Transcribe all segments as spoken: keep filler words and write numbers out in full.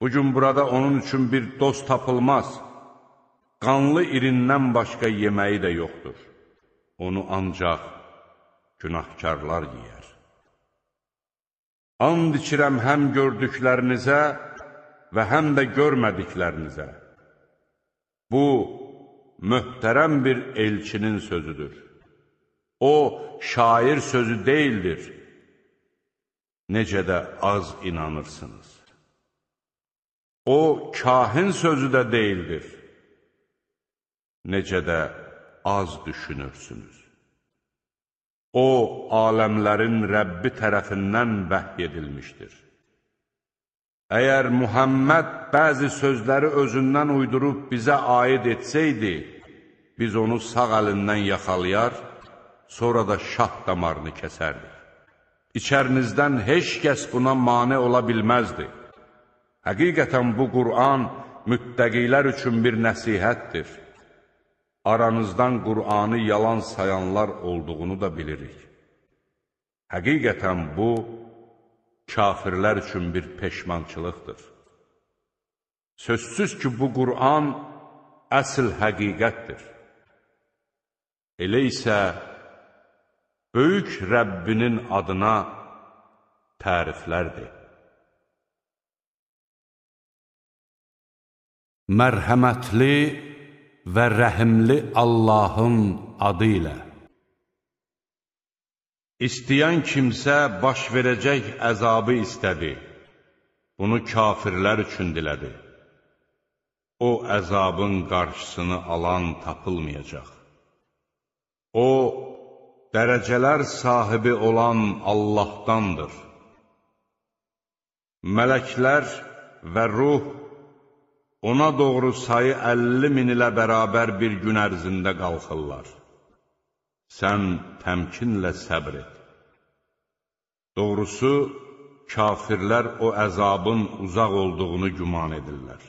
Bugün burada onun üçün bir dost tapılmaz. Qanlı irindən başqa yeməyi də yoxdur. Onu ancaq günahkarlar yeyər. And içirəm həm gördüklərinizə və həm də görmədiklərinizə. Bu, möhtərəm bir elçinin sözüdür. O, şair sözü deyildir. Necə də az inanırsınız. O, kahin sözü də deyildir. Necə də az düşünürsünüz. O, aləmlərin Rəbbi tərəfindən vəhy edilmişdir. Əgər Muhammed bəzi sözləri özündən uydurub bizə aid etsəydi, biz onu sağ əlindən yaxalayar, sonra da şah damarını kəsərdik. İçərinizdən heç kəs buna mane ola bilməzdi. Həqiqətən bu Qur'an müttəqilər üçün bir nəsihətdir. Aranızdan Qur'anı yalan sayanlar olduğunu da bilirik. Həqiqətən bu, kafirlər üçün bir peşmançılıqdır. Sözsüz ki, bu Qur'an əsl həqiqətdir. Elə isə, böyük Rəbbinin adına təriflərdir. Mərhəmətli və rəhimli Allahın adı ilə. İstəyən kimsə baş verəcək əzabı istədi. Bunu kafirlər üçün dilədi. O əzabın qarşısını alan tapılmayacaq. O, dərəcələr sahibi olan Allahdandır. Mələklər və ruh ona doğru sayı əlli min ilə bərabər bir gün ərzində qalxırlar. Sən təmkinlə səbr et. Doğrusu, kafirlər o əzabın uzaq olduğunu güman edirlər.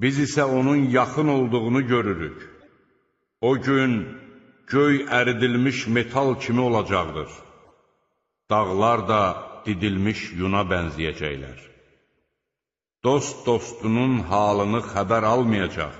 Biz isə onun yaxın olduğunu görürük. O gün göy əridilmiş metal kimi olacaqdır. Dağlar da didilmiş yuna bənzəyəcəklər. Dost dostunun halını xəbər almayacaq.